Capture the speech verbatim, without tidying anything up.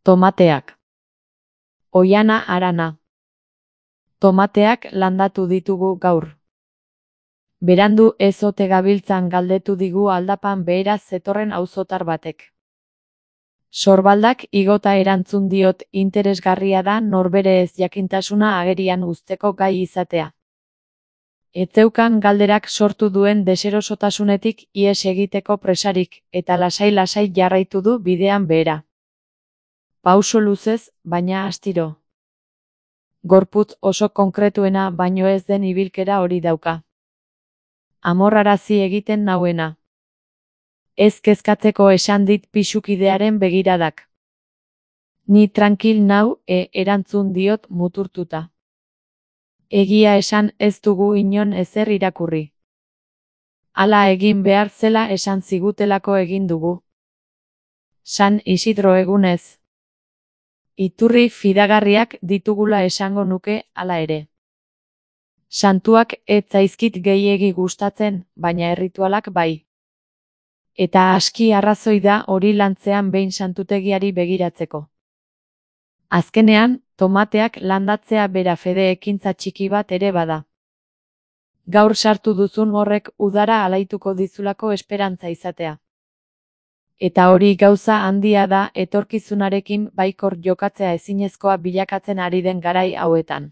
Tomateak. Oihana Arana. Tomateak landatu ditugu gaur. Berandu ez ote gabiltzan galdetu digu aldapan beheraz zetorren auzotar batek. Sorbaldak igota erantzun diot interesgarria da norbere ez jakintasuna agerian uzteko gai izatea. Etzeukan galderak sortu duen deserosotasunetik ihes egiteko presarik, eta lasai-lasai jarraitu du bidean behera. Pauso luzez, baina astiro. Gorputz oso konkretuena baino ez den ibilkera hori dauka. Amorrarazi egiten nauena. Ez kezkatzeko esan dit pisukidearen begiradak. Ni trankil nau, e, erantzun diot muturtuta. Egia esan ez dugu inon ezer irakurri. Hala egin behar zela esan zigutelako egin dugu. San Isidro egunez. Iturri fidagarriak ditugula esango nuke, hala ere. Santuak ez zaizkit gehiegi gustatzen, baina erritualak bai. Eta aski arrazoi da hori lantzean behin santutegiari begiratzeko. Azkenean, tomateak landatzea bera fede ekintza txiki bat ere bada. Gaur sartu duzun horrek udara alaituko dizulako esperantza izatea. Eta hori gauza handia da etorkizunarekin baikor jokatzea ezinezkoa bilakatzen ari den garai hauetan.